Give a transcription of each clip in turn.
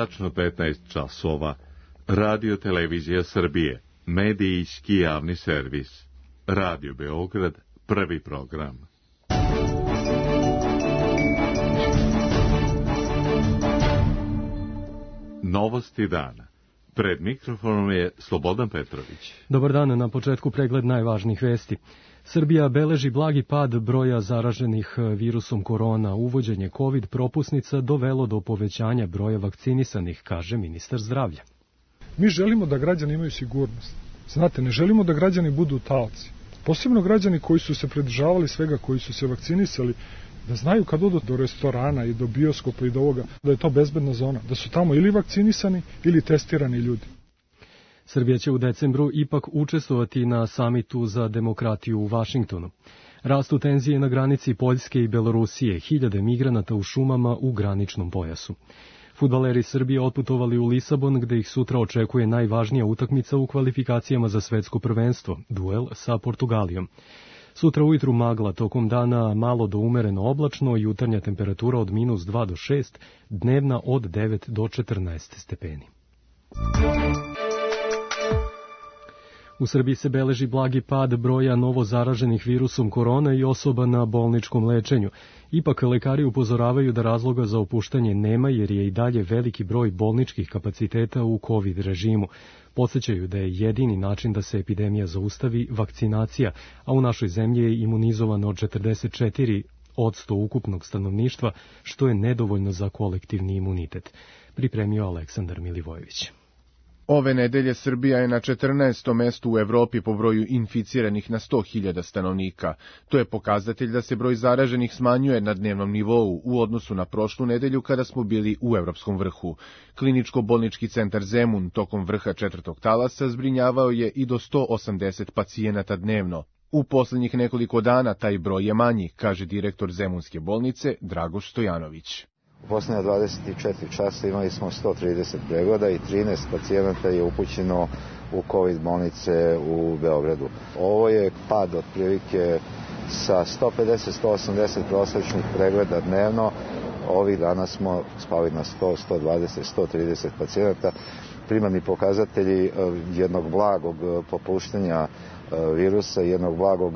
Tačno 15 časova. Radio Televizija Srbije. Medijski javni servis. Radio Beograd, prvi program. Novosti dana. Pred mikrofonom je Slobodan Petrović. Dobar dan, na početku pregled najvažnijih vesti. Srbija beleži blagi pad broja zaraženih virusom korona. Uvođenje COVID propusnica dovelo do povećanja broja vakcinisanih, kaže ministar zdravlja. Mi želimo da građani imaju sigurnost. Znate, ne želimo da građani budu taoci. Posebno građani koji su se pridržavali svega, koji su se vakcinisali, da znaju kad odu do restorana i do bioskopa i do ovoga, da je to bezbedna zona, da su tamo ili vakcinisani ili testirani ljudi. Srbija će u decembru ipak učestvovati na samitu za demokratiju u Vašingtonu. Rastu tenzije na granici Poljske i Belorusije, hiljade migranata u šumama u graničnom pojasu. Fudbaleri Srbije otputovali u Lisabon, gde ih sutra očekuje najvažnija utakmica u kvalifikacijama za svetsko prvenstvo, duel sa Portugalijom. Sutra ujutru magla, tokom dana malo do umereno oblačno, jutarnja temperatura od -2 do 6, dnevna od 9 do 14 stepeni. U Srbiji se beleži blagi pad broja novo zaraženih virusom korona i osoba na bolničkom lečenju. Ipak lekari upozoravaju da razloga za opuštanje nema, jer je i dalje veliki broj bolničkih kapaciteta u COVID režimu. Podsećaju da je jedini način da se epidemija zaustavi vakcinacija, a u našoj zemlji je imunizovano 44% ukupnog stanovništva, što je nedovoljno za kolektivni imunitet. Pripremio Aleksandar Milivojević. Ove nedelje Srbija je na 14. mestu u Evropi po broju inficiranih na 100.000 stanovnika. To je pokazatelj da se broj zaraženih smanjuje na dnevnom nivou u odnosu na prošlu nedelju kada smo bili u evropskom vrhu. Kliničko-bolnički centar Zemun tokom vrha 4. talasa zbrinjavao je i do 180 pacijenata dnevno. U poslednjih nekoliko dana taj broj je manji, kaže direktor Zemunske bolnice Dragoš Stojanović. U posljednja 24 časa imali smo 130 pregleda i 13 pacijenata je upućeno u COVID bolnice u Beogradu. Ovo je pad otprilike sa 150-180 prosječnih pregleda dnevno. Ovih dana smo spali na 100, 120, 130 pacijenata. Primarni pokazatelji jednog blagog popuštanja virusa, jednog blagog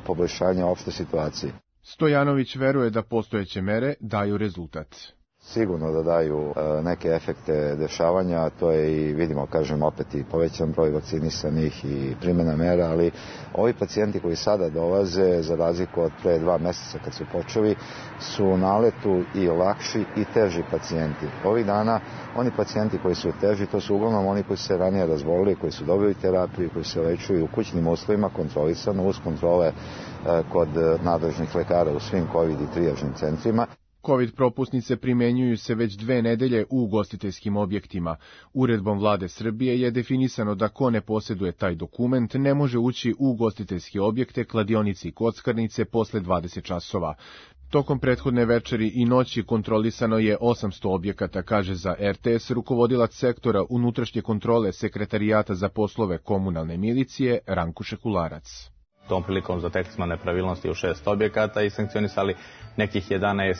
poboljšanja opšte situacije. Stojanović veruje da postojeće mere daju rezultat. Sigurno da daju neke efekte dešavanja, to je i vidimo, kažem opet, i povećan broj vakcinisanih i primjena mera, ali ovi pacijenti koji sada dolaze, za razliku od pre 2 meseca kad su počeli, su u naletu i lakši i teži pacijenti. Ovih dana oni pacijenti koji su teži, to su uglavnom oni koji su se ranije razbolili, koji su dobili terapiju, koji se lečuju u kućnim uslovima, kontrolisano, uz kontrole kod nadležnih lekara u svim COVID i trijažnim centrima. COVID propusnice primenjuju se već 2 nedelje u ugostiteljskim objektima. Uredbom vlade Srbije je definisano da ko ne posjeduje taj dokument ne može ući u ugostiteljske objekte, kladionice i kockarnice posle 20 časova. Tokom prethodne večeri i noći kontrolisano je 800 objekata, kaže za RTS rukovodilac sektora unutrašnje kontrole Sekretarijata za poslove komunalne milicije Ranko Šekularac. Tom prilikom zatekli smo nepravilnosti u 6 objekata i sankcionisali nekih 11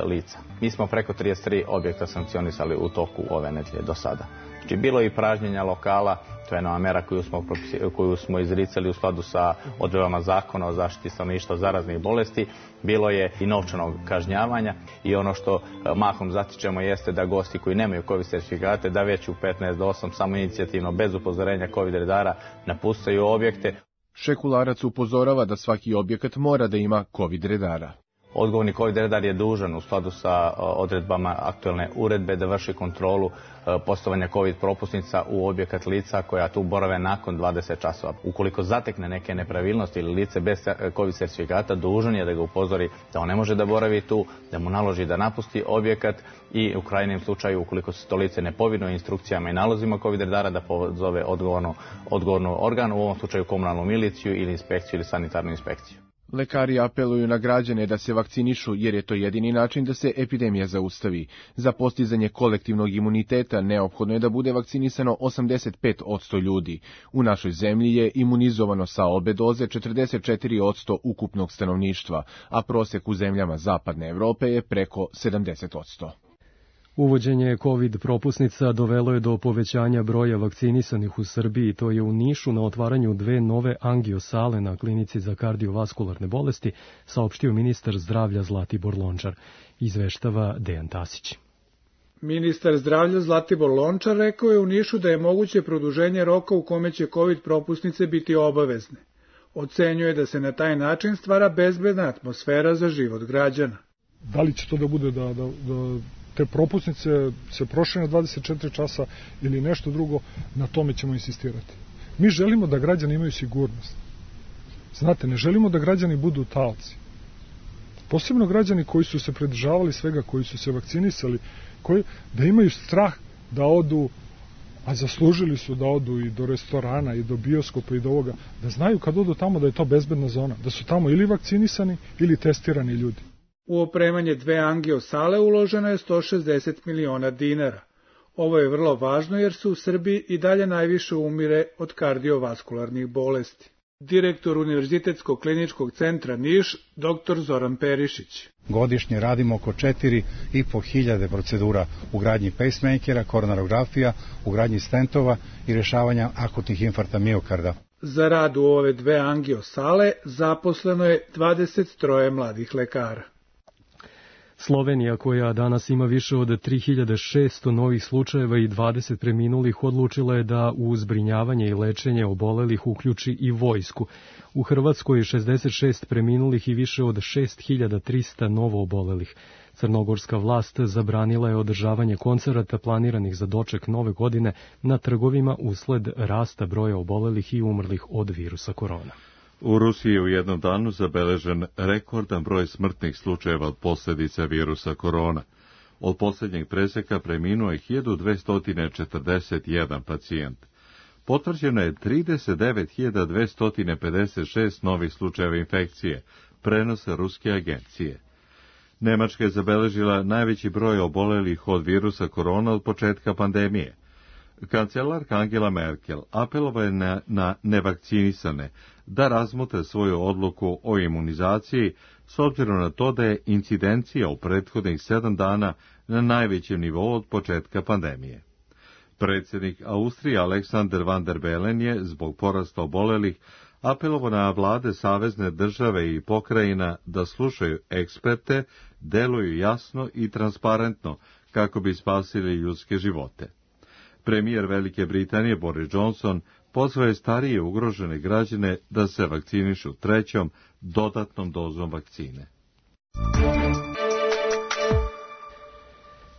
lica. Mi smo preko 33 objekta sankcionisali u toku ove nedelje do sada. Znači, bilo je i pražnjenja lokala, to je nova mera koju smo izricali u skladu sa odredbama zakona o zaštiti stanovništva od zaraznih bolesti. Bilo je i novčanog kažnjavanja i ono što mahom zatičemo jeste da gosti koji nemaju COVID sertifikate da već u 15 do 8 samo inicijativno bez upozorenja COVID redara napuštaju objekte. Šekularac upozorava da svaki objekat mora da ima COVID redara. Odgovorni COVID redar je dužan u skladu sa odredbama aktuelne uredbe da vrši kontrolu postavljanja COVID propusnica u objekat lica koja tu borave nakon 20 časova. Ukoliko zatekne neke nepravilnosti ili lice bez COVID sertifikata, dužan je da ga upozori da on ne može da boravi tu, da mu naloži da napusti objekat i u krajnjem slučaju, ukoliko se to lice ne povinuje instrukcijama i nalozima COVID redara, da pozove odgovornu organ, u ovom slučaju komunalnu miliciju ili inspekciju ili sanitarnu inspekciju. Lekari apeluju na građane da se vakcinišu jer je to jedini način da se epidemija zaustavi. Za postizanje kolektivnog imuniteta neophodno je da bude vakcinisano 85% ljudi. U našoj zemlji je imunizovano sa obe doze 44% ukupnog stanovništva, a prosek u zemljama Zapadne Evrope je preko 70%. Uvođenje COVID propusnica dovelo je do povećanja broja vakcinisanih u Srbiji. To je u Nišu na otvaranju 2 nove angiosale na klinici za kardiovaskularne bolesti, saopštio ministar zdravlja Zlatibor Lončar. Izveštava Dejan Tasić. Ministar zdravlja Zlatibor Lončar rekao je u Nišu da je moguće produženje roka u kome će COVID propusnice biti obavezne. Ocenjuje da se na taj način stvara bezbedna atmosfera za život građana. Da li će to da bude da te propusnice se prošire na 24 časa ili nešto drugo, na tome ćemo insistirati. Mi želimo da građani imaju sigurnost. Znate, ne želimo da građani budu taoci. Posebno građani koji su se pridržavali svega, koji su se vakcinisali, da imaju strah da odu, a zaslužili su da odu i do restorana, i do bioskopa, i do ovoga, da znaju kad odu tamo da je to bezbedna zona, da su tamo ili vakcinisani ili testirani ljudi. U opremanje 2 angiosale uloženo je 160 miliona dinara. Ovo je vrlo važno jer se u Srbiji i dalje najviše umire od kardiovaskularnih bolesti. Direktor Univerzitetskog kliničkog centra Niš, dr. Zoran Perišić. Godišnje radimo oko 4.500 procedura u gradnji pacemakera, koronarografija, u gradnji stentova i rješavanja akutnih infarkta miokarda. Za rad u ove 2 angiosale zaposleno je 23 mladih lekara. Slovenija, koja danas ima više od 3600 novih slučajeva i 20 preminulih, odlučila je da u zbrinjavanje i lečenje obolelih uključi i vojsku. U Hrvatskoj je 66 preminulih i više od 6300 novo obolelih. Crnogorska vlast zabranila je održavanje koncerata planiranih za doček nove godine na trgovima usled rasta broja obolelih i umrlih od virusa korona. U Rusiji je u jednom danu zabeležen rekordan broj smrtnih slučajeva od posljedica virusa korona. Od posljednjeg preseka preminuo je 1241 pacijent. Potvrđeno je 39.256 novih slučajeva infekcije, prenose ruske agencije. Nemačka je zabeležila najveći broj obolelih od virusa korona od početka pandemije. Kancelarka Angela Merkel apelova je na nevakcinisane da razmotre svoju odluku o imunizaciji s obzirom na to da je incidencija u prethodnih 7 dana na najvećem nivou od početka pandemije. Predsjednik Austrije Alexander van der Bellen je, zbog porasta obolelih, apelovao na vlade savezne države i pokrajina da slušaju eksperte, deluju jasno i transparentno kako bi spasili ljudske živote. Premijer Velike Britanije Boris Johnson pozvao je starije ugrožene građane da se vakcinišu 3. dodatnom dozom vakcine.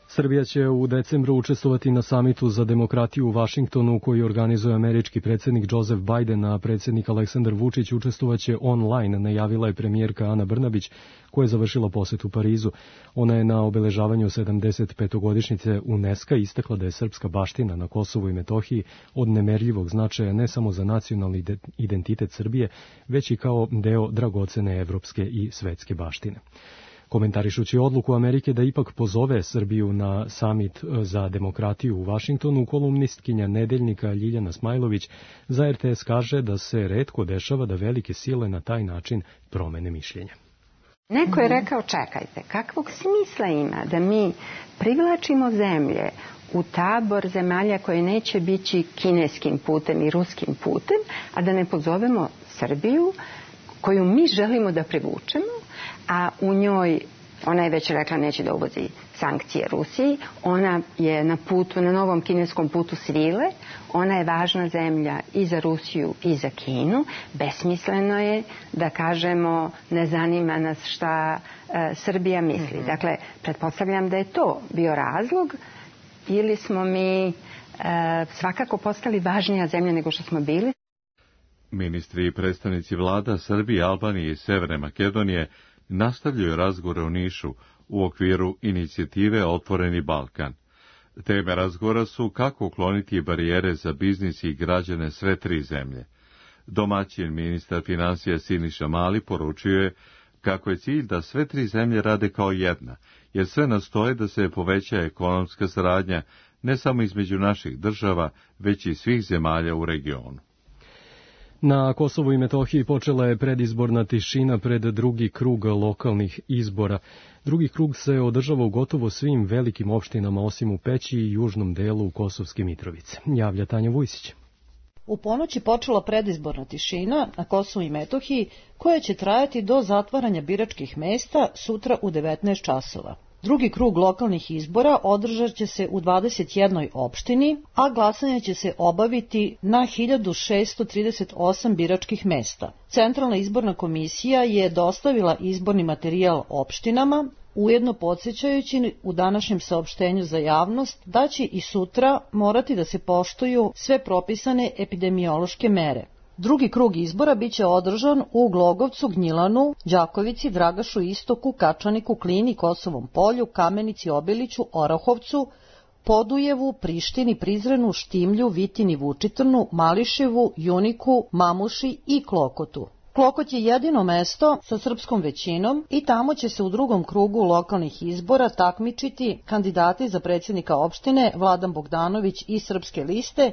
Srbija će u decembru učestvovati na samitu za demokratiju u Vašingtonu koji organizuje američki predsjednik Joseph Biden, a predsjednik Aleksandar Vučić učestvovaće online, najavila je premijerka Ana Brnabić, koja je završila posjet u Parizu. Ona je na obeležavanju 75. UNESCO istakla da je srpska baština na Kosovu i Metohiji od nemerljivog značaja ne samo za nacionalni identitet Srbije, već i kao deo dragocene evropske i svetske baštine. Komentarišući odluku Amerike da ipak pozove Srbiju na samit za demokratiju u Vašingtonu, kolumnistkinja Nedeljnika Ljiljana Smajlović za RTS kaže da se retko dešava da velike sile na taj način promene mišljenje. Neko je rekao, čekajte, kakvog smisla ima da mi privlačimo zemlje u tabor zemalja koje neće biti kineskim putem i ruskim putem, a da ne pozovemo Srbiju koju mi želimo da privučemo, a u njoj, ona je već rekla neće da uvozi sankcije Rusiji, ona je na putu, na novom kineskom putu svile, ona je važna zemlja i za Rusiju i za Kinu, besmisleno je da kažemo ne zanima nas šta Srbija misli. Dakle, pretpostavljam da je to bio razlog ili smo mi svakako postali važnija zemlja nego što smo bili. Ministri i predstavnici vlada Srbije, Albanije i Severne Makedonije nastavljaju razgovore u Nišu u okviru inicijative Otvoreni Balkan. Teme razgovora su kako ukloniti barijere za biznis i građane sve 3 zemlje. Domaćin ministar financija Siniša Mali poručuje kako je cilj da sve 3 zemlje rade kao jedna, jer sve nastoje da se poveća ekonomska saradnja ne samo između naših država, već i svih zemalja u regionu. Na Kosovu i Metohiji počela je predizborna tišina pred drugi krug lokalnih izbora. Drugi krug se održava u gotovo svim velikim opštinama osim u Peći i južnom delu Kosovske Mitrovice. Javlja Tanja Vujsić. U ponoći počela predizborna tišina na Kosovu i Metohiji koja će trajati do zatvaranja biračkih mesta sutra u 19 časova. Drugi krug lokalnih izbora održat će se u 21 opštini, a glasanje će se obaviti na 1638 biračkih mesta. Centralna izborna komisija je dostavila izborni materijal opštinama, ujedno podsjećajući u današnjem saopštenju za javnost da će i sutra morati da se poštuju sve propisane epidemiološke mere. Drugi krug izbora biće održan u Glogovcu, Gnjilanu, Đakovici, Dragašu, Istoku, Kačaniku, Klini, Kosovom polju, Kamenici, Obiliću, Orahovcu, Podujevu, Prištini, Prizrenu, Štimlju, Vitini, Vučitrnu, Mališevu, Juniku, Mamuši i Klokotu. Klokot je jedino mesto sa srpskom većinom i tamo će se u drugom krugu lokalnih izbora takmičiti kandidati za predsjednika opštine Vladan Bogdanović iz Srpske liste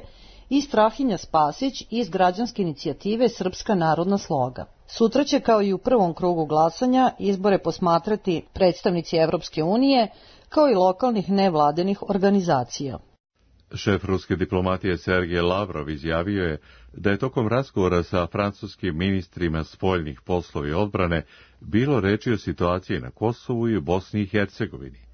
i Strahinja Spasić iz građanske inicijative Srpska narodna sloga. Sutra će, kao i u prvom krugu glasanja, izbore posmatrati predstavnici Evropske unije, kao i lokalnih nevladenih organizacija. Šef ruske diplomatije Sergej Lavrov izjavio je da je tokom razgovora sa francuskim ministrima spoljnih poslova i odbrane bilo reči o situaciji na Kosovu i u Bosni i Hercegovini.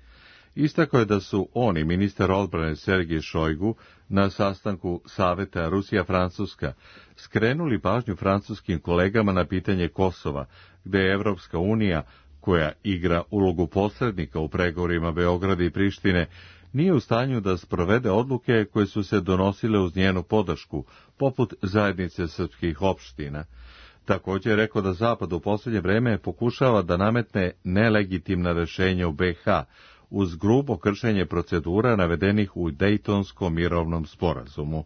Istakao je da su on i ministar odbrane Sergej Šojgu na sastanku Saveta Rusija-Francuska skrenuli pažnju francuskim kolegama na pitanje Kosova, gde je Evropska unija, koja igra ulogu posrednika u pregovorima Beograda i Prištine, nije u stanju da sprovede odluke koje su se donosile uz njenu podršku, poput zajednice srpskih opština. Također je rekao da Zapad u posljednje vreme pokušava da nametne nelegitimna rešenja u BiH, uz grubo kršenje procedura navedenih u Dejtonskom mirovnom sporazumu.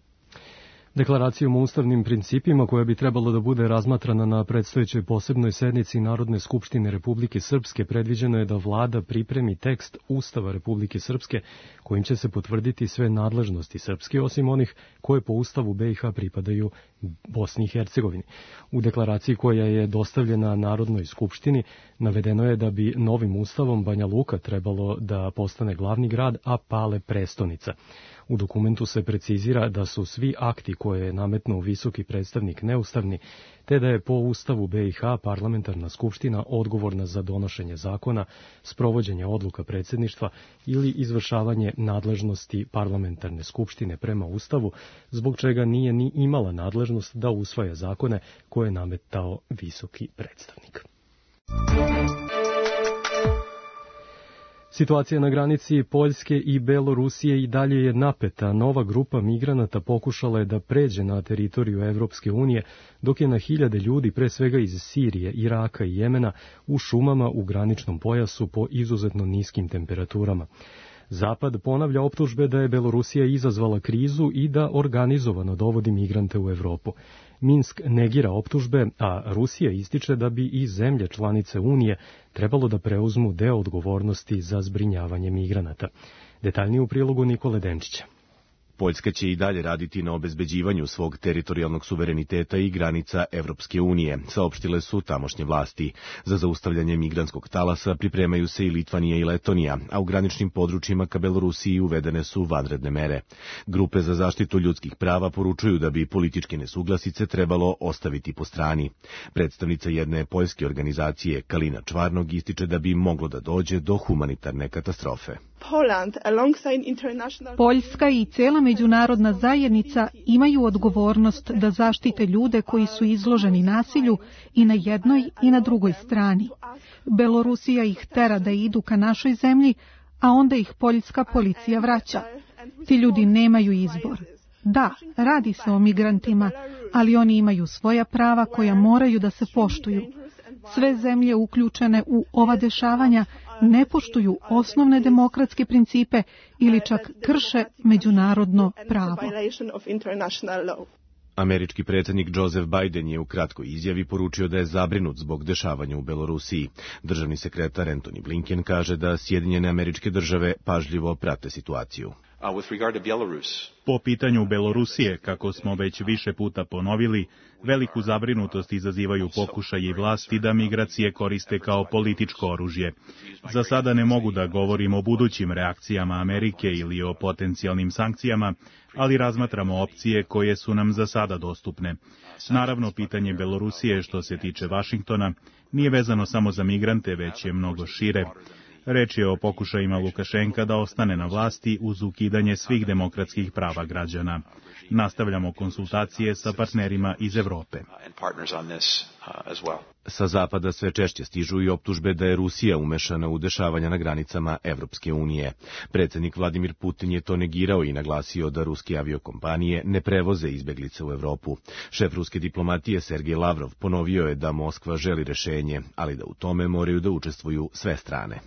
Deklaracijom o ustavnim principima, koja bi trebalo da bude razmatrana na predstojećoj posebnoj sednici Narodne skupštine Republike Srpske, predviđeno je da vlada pripremi tekst Ustava Republike Srpske, kojim će se potvrditi sve nadležnosti Srpske, osim onih koje po Ustavu BiH pripadaju Bosni i Hercegovini. U deklaraciji koja je dostavljena Narodnoj skupštini navedeno je da bi novim ustavom Banja Luka trebalo da postane glavni grad, a Pale prestonica. U dokumentu se precizira da su svi akti koje je nametnuo visoki predstavnik neustavni, te da je po Ustavu BiH parlamentarna skupština odgovorna za donošenje zakona, sprovođenje odluka predsjedništva ili izvršavanje nadležnosti parlamentarne skupštine prema Ustavu, zbog čega nije ni imala nadležnost da usvaja zakone koje je nametao visoki predstavnik. Situacija na granici Poljske i Belorusije i dalje je napeta. Nova grupa migranata pokušala je da pređe na teritoriju Evropske unije, dok je na hiljade ljudi, pre svega iz Sirije, Iraka i Jemena, u šumama u graničnom pojasu po izuzetno niskim temperaturama. Zapad ponavlja optužbe da je Belorusija izazvala krizu i da organizovano dovodi migrante u Evropu. Minsk negira optužbe, a Rusija ističe da bi i zemlje članice Unije trebalo da preuzmu deo odgovornosti za zbrinjavanje migranata. Detaljnije u prilogu Nikole Denčića. Poljska će i dalje raditi na obezbeđivanju svog teritorijalnog suvereniteta i granica Evropske unije, saopštile su tamošnje vlasti. Za zaustavljanje migrantskog talasa pripremaju se i Litvanija i Letonija, a u graničnim područjima ka Belorusiji uvedene su vanredne mere. Grupe za zaštitu ljudskih prava poručuju da bi političke nesuglasice trebalo ostaviti po strani. Predstavnica jedne poljske organizacije, Kalina Čvarnog, ističe da bi moglo da dođe do humanitarne katastrofe. Poljska i cijela međunarodna zajednica imaju odgovornost da zaštite ljude koji su izloženi nasilju i na jednoj i na drugoj strani. Belorusija ih tera da idu ka našoj zemlji, a onda ih poljska policija vraća. Ti ljudi nemaju izbor. Da, radi se o migrantima, ali oni imaju svoja prava koja moraju da se poštuju. Sve zemlje uključene u ova dešavanja ne poštuju osnovne demokratske principe ili čak krše međunarodno pravo. Američki predsjednik Joseph Biden je u kratkoj izjavi poručio da je zabrinut zbog dešavanja u Belorusiji. Državni sekretar Antony Blinken kaže da Sjedinjene Američke Države pažljivo prate situaciju. Po pitanju Belorusije, kako smo već više puta ponovili, veliku zabrinutost izazivaju pokušaji vlasti da migracije koriste kao političko oružje. Za sada ne mogu da govorim o budućim reakcijama Amerike ili o potencijalnim sankcijama, ali razmatramo opcije koje su nam za sada dostupne. Naravno, pitanje Belorusije, što se tiče Vašingtona, nije vezano samo za migrante, već je mnogo šire. Reč je o pokušajima Lukašenka da ostane na vlasti uz ukidanje svih demokratskih prava građana. Nastavljamo konsultacije sa partnerima iz Evrope. Sa zapada sve češće stižu i optužbe da je Rusija umešana u dešavanja na granicama Evropske unije. Predsjednik Vladimir Putin je to negirao i naglasio da ruske aviokompanije ne prevoze izbeglice u Evropu. Šef ruske diplomatije Sergej Lavrov ponovio je da Moskva želi rešenje, ali da u tome moraju da učestvuju sve strane.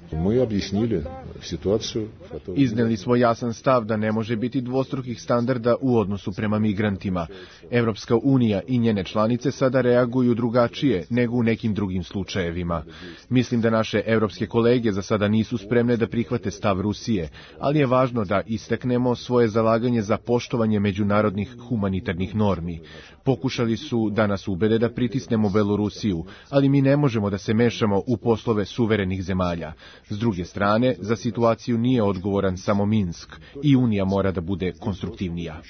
Izneli smo jasan stav da ne može biti dvostrukih standarda u odnosu prema migrantima. Evropska unija i njene članice sada reaguju drugačije nego u nekim drugim slučajevima. Mislim da naše evropske kolege za sada nisu spremne da prihvate stav Rusije, ali je važno da istaknemo svoje zalaganje za poštovanje međunarodnih humanitarnih normi. Pokušali su da nas ubede da pritisnemo Belorusiju, ali mi ne možemo da se mešamo u poslove suverenih zemalja. S druge strane, za situaciju nije odgovoran samo Minsk i Unija mora da bude konstruktivnija.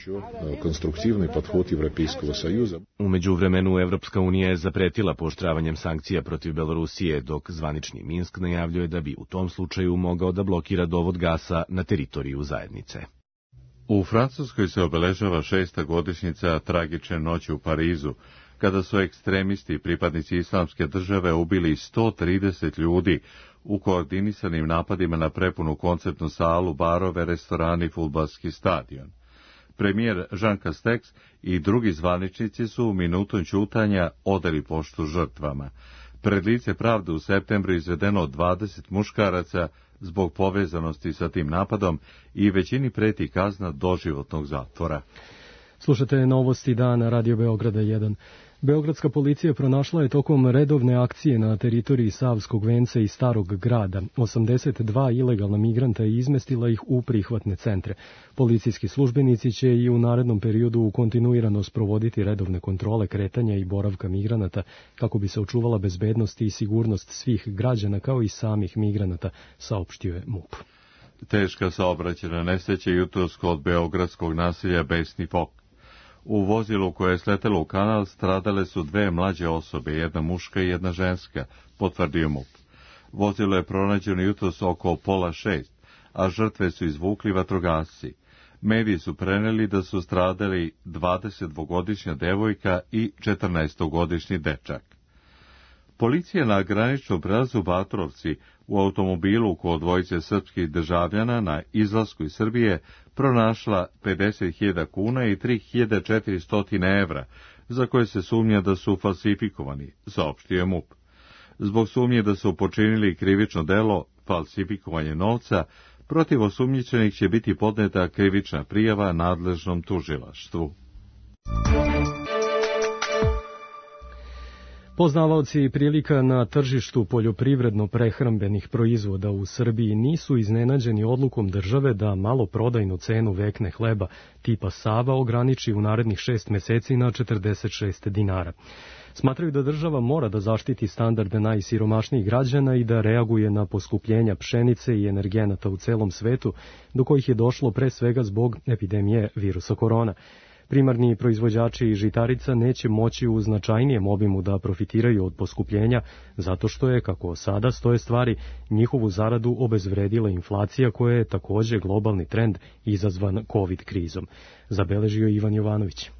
U međuvremenu Evropska unija je zapretila pooštravanjem sankcija protiv Belorusije, dok zvanični Minsk najavljuje da bi u tom slučaju mogao da blokira dovod gasa na teritoriju zajednice. U Francuskoj se obeležava 6. godišnjica tragične noći u Parizu, kada su ekstremisti i pripadnici islamske države ubili 130 ljudi u koordinisanim napadima na prepunu koncertnu salu, barove, restorani i fudbalski stadion. Premijer Jean Castex i drugi zvaničnici su minutom ćutanja odali poštu žrtvama. Pred lice pravde u septembru izvedeno 20 muškaraca zbog povezanosti sa tim napadom i većini preti kazna doživotnog zatvora. Slušate novosti dana Radio Beograda 1. Beogradska policija pronašla je tokom redovne akcije na teritoriji Savskog venca i Starog grada 82 ilegalna migranta i izmestila ih u prihvatne centre. Policijski službenici će i u narednom periodu kontinuirano sprovoditi redovne kontrole kretanja i boravka migranata kako bi se očuvala bezbednost i sigurnost svih građana kao i samih migranata, saopštio je MUP. Teška saobraćajna nesreća jutros kod beogradskog naselja Besni Pok. U vozilu koje je sletelo u kanal stradale su 2 mlađe osobe, jedna muška i jedna ženska, potvrdio MUP. Vozilo je pronađeno jutros oko 5:30, a žrtve su izvukli vatrogasci. Mediji su preneli da su stradali 22-godišnja devojka i 14-godišnji dečak. Policija na graničnom prelazu Batrovci u automobilu kod dvojice srpskih državljana na izlasku iz Srbije pronašla 50.000 kuna i 3.400 evra, za koje se sumnja da su falsifikovani, saopštio je MUP. Zbog sumnje da su počinili krivično delo falsifikovanje novca, protiv osumnjičenih će biti podneta krivična prijava nadležnom tužilaštvu. Poznavaoci prilika na tržištu poljoprivredno-prehrambenih proizvoda u Srbiji nisu iznenađeni odlukom države da maloprodajnu cenu vekne hleba tipa Sava ograniči u narednih 6 meseci na 46 dinara. Smatraju da država mora da zaštiti standarde najsiromašnijih građana i da reaguje na poskupljenja pšenice i energenata u celom svetu, do kojih je došlo pre svega zbog epidemije virusa korona. Primarni proizvođači žitarica neće moći u značajnijem obimu da profitiraju od poskupljenja, zato što je, kako sada stoje stvari, njihovu zaradu obezvredila inflacija koja je takođe globalni trend izazvan COVID krizom. Zabeležio Ivan Jovanović.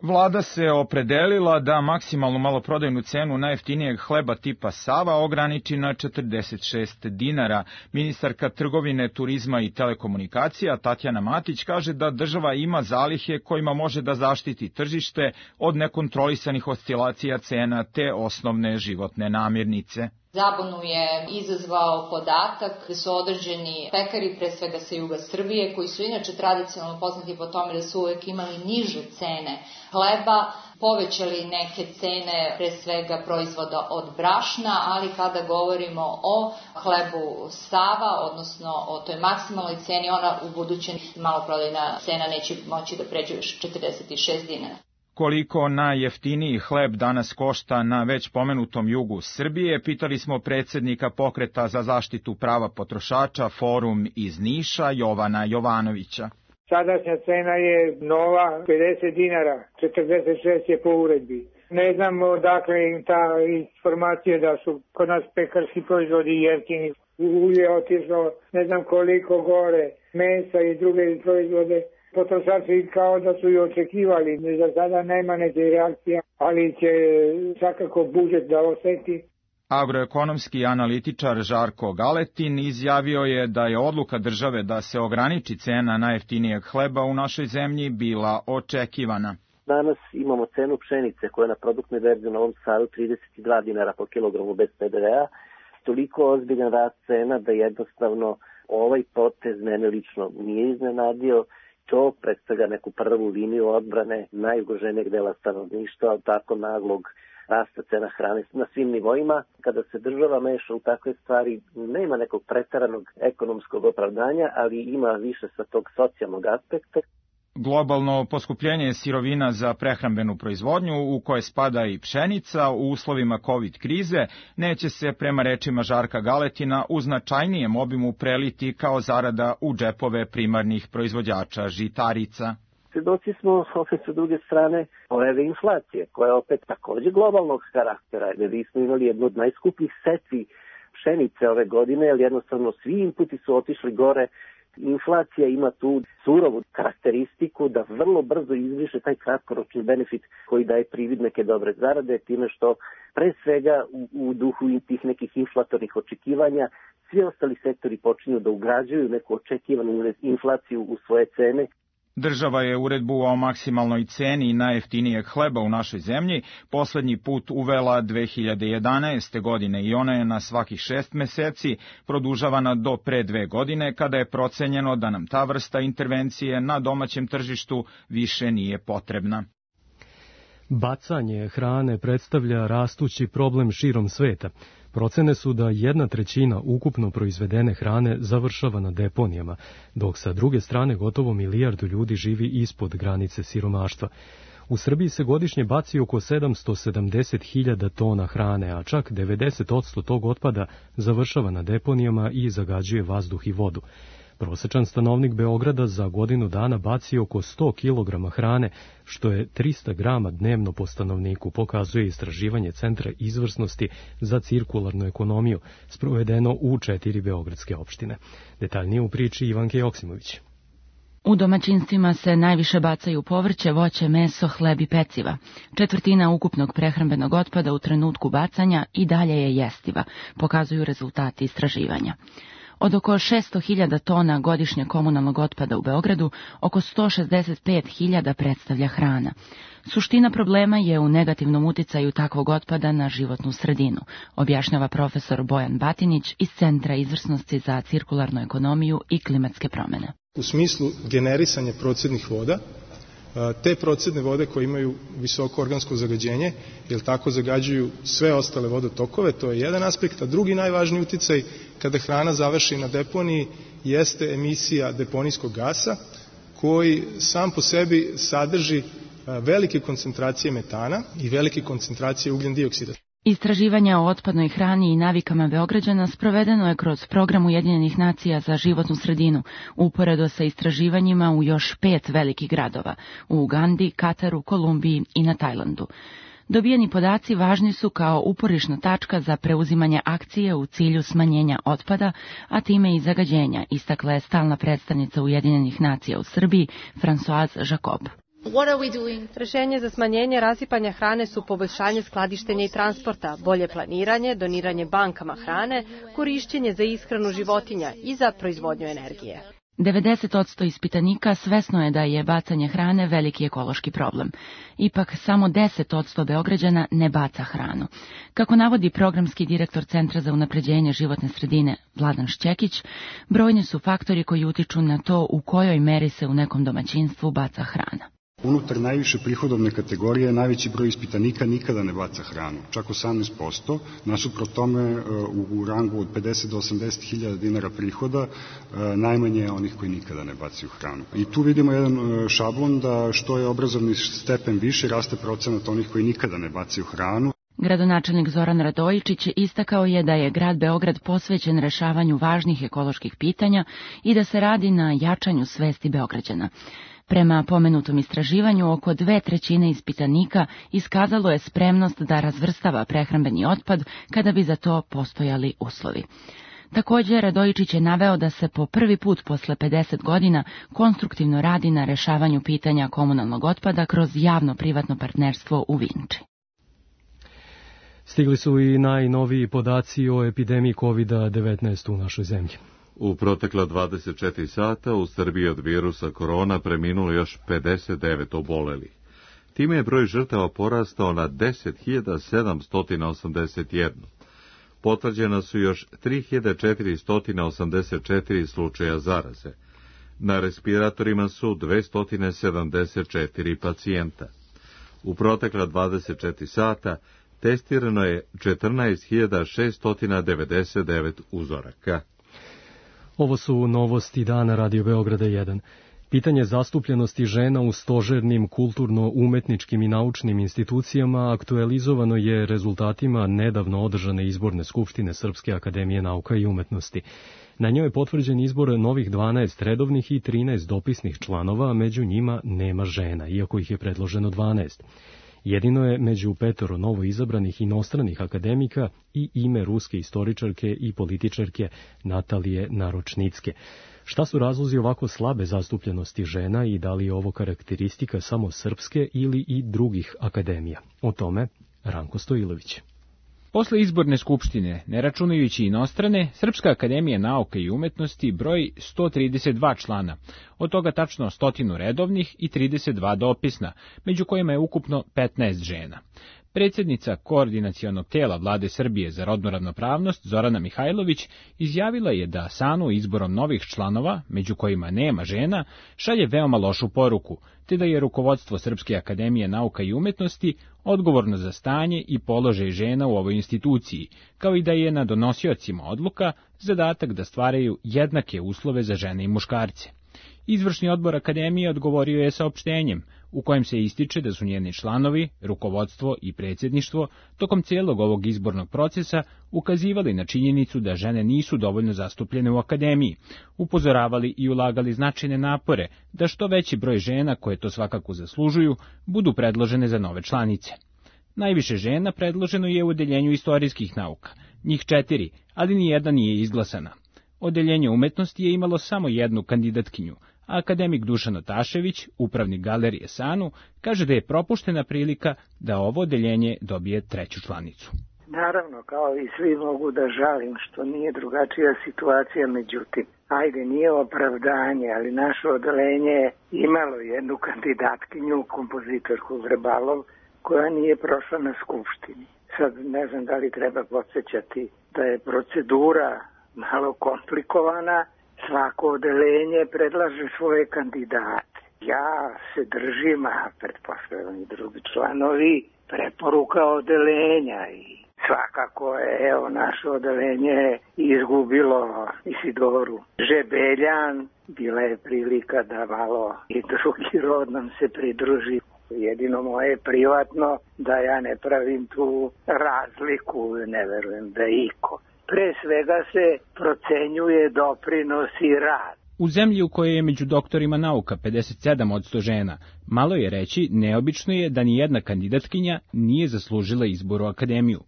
Vlada se opredelila da maksimalnu maloprodajnu cenu najjeftinijeg hleba tipa Sava ograniči na 46 dinara. Ministarka trgovine, turizma i telekomunikacija Tatjana Matić kaže da država ima zalihe kojima može da zaštiti tržište od nekontrolisanih oscilacija cena te osnovne životne namirnice. Zabunu je izazvao podatak da su određeni pekari, pre svega sa juga Srbije, koji su inače tradicionalno poznati po tome da su uvek imali niže cene hleba, povećali neke cene, pre svega proizvoda od brašna, ali kada govorimo o hlebu Sava, odnosno o toj maksimalnoj ceni, ona u budućem maloprodajna cena neće moći da pređe još 46 dinara. Koliko najjeftiniji hleb danas košta na već pomenutom jugu Srbije, pitali smo predsednika Pokreta za zaštitu prava potrošača Forum iz Niša, Jovana Jovanovića. Sadašnja cena je nova 50 dinara, 46 je po uredbi. Ne znam odakle im ta informacija da su kod nas pekarski proizvodi jeftini. Ulje je otišlo ne znam koliko gore, mesa i druge proizvode. Potrošači kao da su i očekivali, za sada nema neke reakcija, ali će svakako budžet da oseti. Agroekonomski analitičar Žarko Galetin izjavio je da je odluka države da se ograniči cena najjeftinijeg hleba u našoj zemlji bila očekivana. Danas imamo cenu pšenice koja je na produktnoj berzi u Novom Sadu 32 dinara po kilogramu bez PDV-a. Toliko ozbiljan rast cena da jednostavno ovaj potez mene lično nije iznenadio. To predstavlja neku prvu liniju odbrane najugroženijeg dela stanovništva od tako naglog rasta cena hrane na svim nivoima. Kada se država meša u takve stvari, nema nekog preteranog ekonomskog opravdanja, ali ima više sa tog socijalnog aspekta. Globalno poskupljenje sirovina za prehrambenu proizvodnju, u koje spada i pšenica, u uslovima COVID krize, neće se, prema rečima Žarka Galetina, u značajnijem obimu preliti kao zarada u džepove primarnih proizvođača žitarica. Svedoci smo opet sa druge strane pojave inflacije, koja je opet takođe globalnog karaktera, jer mi smo imali jednu od najskupljih setvi pšenice ove godine, jer jednostavno svi inputi su otišli gore. Inflacija ima tu surovu karakteristiku da vrlo brzo izbriše taj kratkoročni benefit koji daje privid neke dobre zarade, time što pre svega u duhu tih nekih inflatornih očekivanja svi ostali sektori počinju da ugrađuju neku očekivanu inflaciju u svoje cene. Država je uredbu o maksimalnoj ceni najjeftinijeg hleba u našoj zemlji poslednji put uvela 2011. godine i ona je na svakih 6 meseci produžavana do pre 2 godine, kada je procenjeno da nam ta vrsta intervencije na domaćem tržištu više nije potrebna. Bacanje hrane predstavlja rastući problem širom sveta. Procene su da 1/3 ukupno proizvedene hrane završava na deponijama, dok sa druge strane gotovo 1 milijardu ljudi živi ispod granice siromaštva. U Srbiji se godišnje baci oko 770.000 tona hrane, a čak 90% tog otpada završava na deponijama i zagađuje vazduh i vodu. Prosečan stanovnik Beograda za godinu dana baci oko 100 kg hrane, što je 300 grama dnevno po stanovniku, pokazuje istraživanje Centra izvrsnosti za cirkularnu ekonomiju, sprovedeno u 4 beogradske opštine. Detaljnije u priči Ivanke Joksimović. U domaćinstvima se najviše bacaju povrće, voće, meso, hleb i peciva. 1/4 ukupnog prehrambenog otpada u trenutku bacanja i dalje je jestiva, pokazuju rezultati istraživanja. Od oko 600.000 tona godišnje komunalnog otpada u Beogradu, oko 165.000 predstavlja hrana. Suština problema je u negativnom uticaju takvog otpada na životnu sredinu, objašnjava profesor Bojan Batinić iz Centra izvrsnosti za cirkularnu ekonomiju i klimatske promene. U smislu generisanja procednih voda, te procedne vode koje imaju visoko organsko zagađenje, jer tako zagađuju sve ostale vodotokove, to je jedan aspekt, a drugi najvažniji uticaj kada hrana završi na deponiji jeste emisija deponijskog gasa, koji sam po sebi sadrži velike koncentracije metana i velike koncentracije ugljen dioksida. Istraživanja o otpadnoj hrani i navikama Beograđana sprovedeno je kroz program Ujedinjenih nacija za životnu sredinu, uporedo sa istraživanjima u još 5 velikih gradova, u Ugandi, Kataru, Kolumbiji i na Tajlandu. Dobijeni podaci važni su kao uporišna tačka za preuzimanje akcije u cilju smanjenja otpada, a time i zagađenja, istakla je stalna predstavnica Ujedinjenih nacija u Srbiji, Françoise Jacob. Rešenje za smanjenje rasipanja hrane su poboljšanje skladištenja i transporta, bolje planiranje, doniranje bankama hrane, korišćenje za ishranu životinja i za proizvodnju energije. 90% ispitanika svesno je da je bacanje hrane veliki ekološki problem. Ipak samo 10% Beograđana ne baca hranu. Kako navodi programski direktor Centra za unapređenje životne sredine Vladan Šćekić, brojni su faktori koji utiču na to u kojoj meri se u nekom domaćinstvu baca hrana. Unutar najviše prihodovne kategorije najveći broj ispitanika nikada ne baca hranu, čak 18%, nasuprot tome u rangu od 50 do 80 hiljada dinara prihoda najmanje je onih koji nikada ne bacaju hranu. I tu vidimo jedan šablon da što je obrazovni stepen više, raste procenat onih koji nikada ne bacaju hranu. Gradonačelnik Zoran Radojičić istakao je da je grad Beograd posvećen rešavanju važnih ekoloških pitanja i da se radi na jačanju svesti Beograđana. Prema pomenutom istraživanju, oko 2/3 ispitanika iskazalo je spremnost da razvrstava prehrambeni otpad kada bi za to postojali uslovi. Također, Radojičić je naveo da se po prvi put posle 50 godina konstruktivno radi na rešavanju pitanja komunalnog otpada kroz javno-privatno partnerstvo u Vinči. Stigli su i najnoviji podaci o epidemiji COVID-19 u našoj zemlji. U protekla 24 sata u Srbiji od virusa korona preminulo još 59 obolelih. Time je broj žrtava porastao na 10.781. Potvrđena su još 3.484 slučaja zaraze. Na respiratorima su 274 pacijenta. U protekla 24 sata testirano je 14.699 uzoraka. Ovo su novosti dana Radio Beograda 1. Pitanje zastupljenosti žena u stožernim, kulturno-umetničkim i naučnim institucijama aktualizovano je rezultatima nedavno održane izborne skupštine Srpske akademije nauka i umetnosti. Na njoj je potvrđen izbor novih 12 redovnih i 13 dopisnih članova, a među njima nema žena, iako ih je predloženo 12. Jedino je među 5 novo izabranih inostranih akademika i ime ruske istoričarke i političarke Natalije Naročnicke. Šta su razlozi ovako slabe zastupljenosti žena i da li je ovo karakteristika samo srpske ili i drugih akademija? O tome Ranko Stojilović. Posle izborne skupštine, ne računajući inostrane, Srpska akademija nauka i umetnosti broji 132 člana, od toga tačno 100 redovnih i 32 dopisna, među kojima je ukupno 15 žena. Predsjednica koordinacionog tela Vlade Srbije za rodnu ravnopravnost Zorana Mihajlović izjavila je da SANU izborom novih članova, među kojima nema žena, šalje veoma lošu poruku, te da je rukovodstvo Srpske akademije nauka i umetnosti odgovorno za stanje i položaj žena u ovoj instituciji, kao i da je na donosiocima odluka zadatak da stvaraju jednake uslove za žene i muškarce. Izvršni odbor akademije odgovorio je saopštenjem, u kojem se ističe da su njeni članovi, rukovodstvo i predsjedništvo tokom cijelog ovog izbornog procesa ukazivali na činjenicu da žene nisu dovoljno zastupljene u akademiji, upozoravali i ulagali značajne napore da što veći broj žena, koje to svakako zaslužuju, budu predložene za nove članice. Najviše žena predloženo je u odeljenju istorijskih nauka, njih 4, ali nijedna nije izglasana. Odeljenje umetnosti je imalo samo jednu kandidatkinju, a akademik Dušan Otašević, upravnik galerije SANU, kaže da je propuštena prilika da ovo odeljenje dobije 3. članicu. Naravno, kao i svi mogu da žalim što nije drugačija situacija, međutim, ajde, nije opravdanje, ali naše odeljenje je imalo jednu kandidatkinju, kompozitorku Vrbalov, koja nije prošla na skupštini. Sad ne znam da li treba podsjećati da je procedura malo komplikovana, svako odeljenje predlaže svoje kandidate. Ja se držim, a pretpostavljam i drugi članovi, preporuka odeljenja i svakako je, naše odeljenje izgubilo Isidoru Žebeljan. Bila je prilika da malo i drugi rod nam se pridruži. Jedino moje privatno da ja ne pravim tu razliku, ne verujem da je iko. Pre svega se procenjuje doprinos i rad. U zemlji u kojoj je među doktorima nauka 57% žena, malo je reći, neobično je da ni jedna kandidatkinja nije zaslužila izbor u akademiju.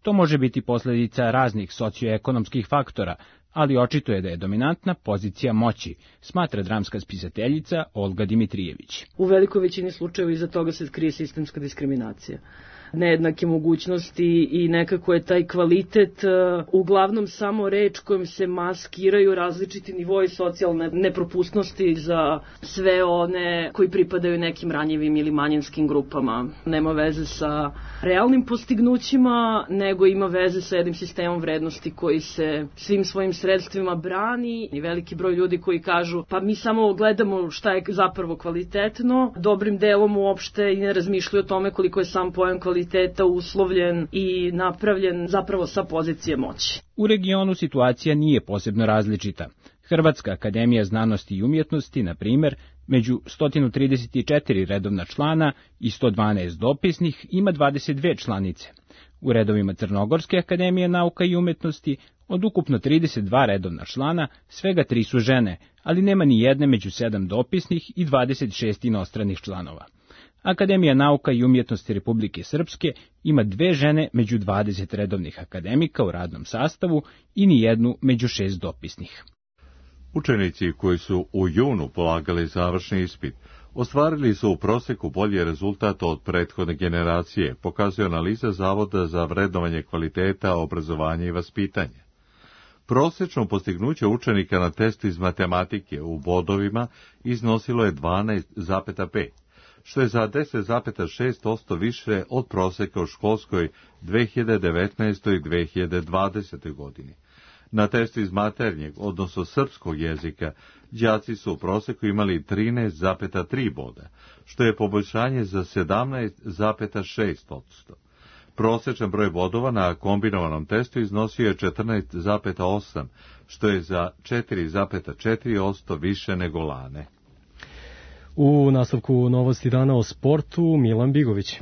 To može biti posljedica raznih socioekonomskih faktora, ali očito je da je dominantna pozicija moći, smatra dramska spisateljica Olga Dimitrijević. U velikoj većini slučajeva iza toga se krije sistemska diskriminacija. nejednake mogućnosti i nekako je taj kvalitet uglavnom samo reč kojom se maskiraju različiti nivoi socijalne nepropusnosti za sve one koji pripadaju nekim ranjivim ili manjinskim grupama. Nema veze sa realnim postignućima, nego ima veze sa jednim sistemom vrednosti koji se svim svojim sredstvima brani i veliki broj ljudi koji kažu pa mi samo gledamo šta je zapravo kvalitetno, dobrim delom uopšte i ne razmišljaju o tome koliko je sam pojam kvaliteta uslovljen i napravljen zapravo sa pozicije moći. U regionu situacija nije posebno različita. Hrvatska akademija znanosti i umjetnosti, na primjer, među 134 redovna člana i 112 dopisnih ima 22 članice. U redovima Crnogorske akademije nauka i umjetnosti od ukupno 32 redovna člana, svega 3 su žene, ali nema ni jedne među 7 dopisnih i 26 inostranih članova. Akademija nauka i umjetnosti Republike Srpske ima 2 žene među 20 redovnih akademika u radnom sastavu i ni jednu među 6 dopisnih. Učenici koji su u junu polagali završni ispit ostvarili su u proseku bolji rezultat od prethodne generacije, pokazuje analiza Zavoda za vrednovanje kvaliteta, obrazovanja i vaspitanja. Prosečno postignuće učenika na testu iz matematike u bodovima iznosilo je 12,5, što je za 10,6% više od proseka u školskoj 2019. i 2020. godini. Na testu iz maternjeg, odnosno srpskog jezika, đaci su u proseku imali 13,3 boda, što je poboljšanje za 17,6%. Prosečan broj bodova na kombinovanom testu iznosio je 14,8, što je za 4,4% više nego lane. U nastavku novosti dana o sportu, Milan Bigović.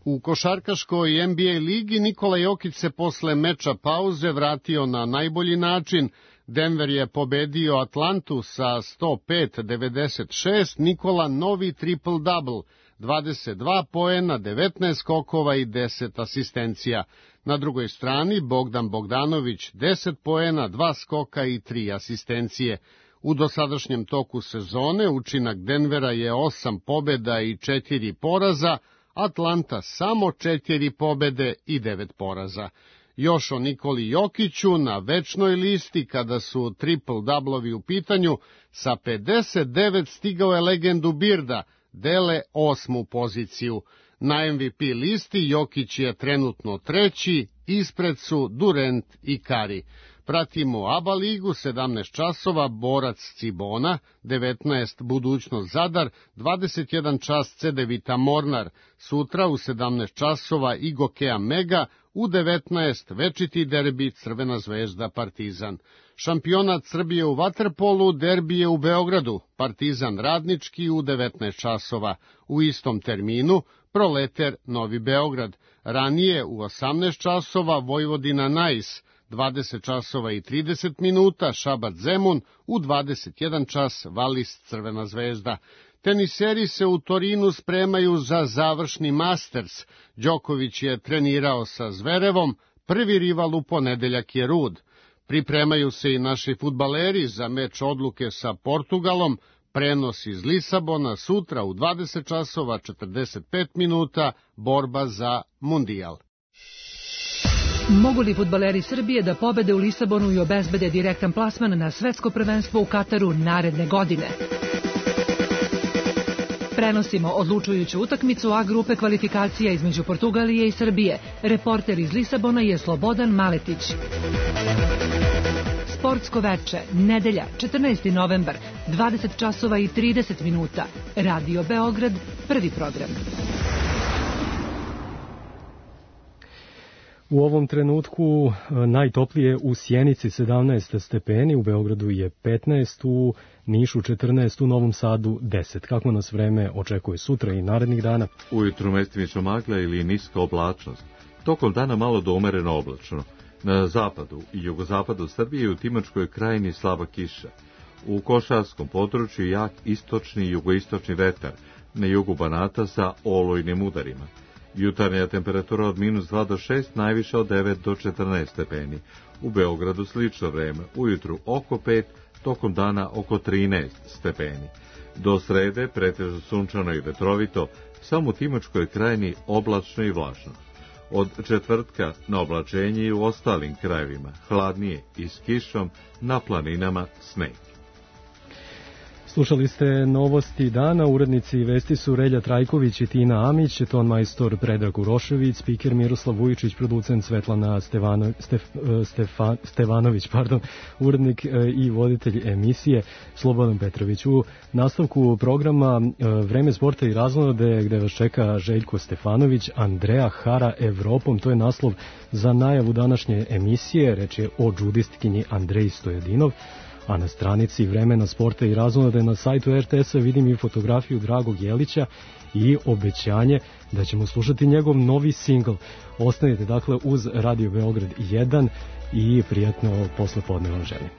U košarkaškoj NBA ligi Nikola Jokić se posle meča pauze vratio na najbolji način. Denver je pobedio Atlantu sa 105-96, Nikola novi triple-double, 22 poena, 19 skokova i 10 asistencija. Na drugoj strani Bogdan Bogdanović 10 poena, 2 skoka i 3 asistencije. U dosadašnjem toku sezone učinak Denvera je 8 pobeda i 4 poraza, Atlanta samo 4 pobede i 9 poraza. Još o Nikoli Jokiću na večnoj listi kada su triple-doublovi u pitanju, sa 59 stigao je legendu Birda, dele 8. poziciju. Na MVP listi Jokić je trenutno 3, ispred su Durant i Curry. Pratimo ABA ligu, 17 časova, Borac Cibona, 19 Budućnost Zadar, 21 čas Cedevita Mornar, sutra u 17 časova Igokea Mega, u 19 večiti derbi Crvena zvezda Partizan. Šampionat Srbije u vaterpolu, derbi je u Beogradu, Partizan Radnički u 19 časova, u istom terminu Proleter Novi Beograd, ranije u 18 časova Vojvodina Nais, 20 časova i 30 minuta Šabac Zemun, u 21 čas Valis Crvena zvezda. Teniseri se u Torinu spremaju za završni Masters. Đoković je trenirao sa Zverevom, prvi rival u ponedeljak je Rud. Pripremaju se i naši fudbaleri za meč odluke sa Portugalom, prenos iz Lisabona sutra u 20 časova 45 minuta, borba za Mundijal. Mogu li fudbaleri Srbije da pobede u Lisabonu i obezbede direktan plasman na svetsko prvenstvo u Kataru naredne godine? Prenosimo odlučujuću utakmicu A grupe kvalifikacija između Portugalije i Srbije. Reporter iz Lisabona je Slobodan Maletić. Sportsko veče, nedelja, 14. novembar, 20 časova i 30 minuta. Radio Beograd, prvi program. U ovom trenutku najtoplije u Sjenici 17 stepeni, u Beogradu je 15, u Nišu 14, u Novom Sadu 10. Kako nas vreme očekuje sutra i narednih dana? Ujutru mestimično magla ili niska oblačnost. Tokom dana malo do umereno oblačno. Na zapadu i jugozapadu Srbije i u Timočkoj krajini slaba kiša. U košarskom području jak istočni i jugoistočni vetar, na jugu Banata sa olujnim udarima. Jutarnja temperatura od -2 do 6, najviše od 9 do 14 stepeni. U Beogradu slično vreme, ujutru oko 5, tokom dana oko 13 stepeni. Do srede pretežno sunčano i vetrovito, samo u Timočkoj krajini oblačno i vlažno. Od četvrtka na oblačenje i u ostalim krajevima, hladnije i s kišom, na planinama sneg. Slušali ste novosti dana, urednici vesti su Relja Trajković i Tina Amić, ton majstor Predrag Urošević, spiker Miroslav Vujičić, producent Svetlana Stevanović, urednik i voditelj emisije Slobodan Petrović. U nastavku programa Vreme sporta i razonode, gde vas čeka Željko Stefanović, Andreja hara Evropom, to je naslov za najavu današnje emisije, reč je o džudistkinji Andreji Stojadinov. A na stranici Vremena sporta i razonode na sajtu RTS-a vidim i fotografiju Dragog Jelića i obećanje da ćemo slušati njegov novi singl. Ostanite dakle uz Radio Beograd 1 i prijatno poslepodne vam želim.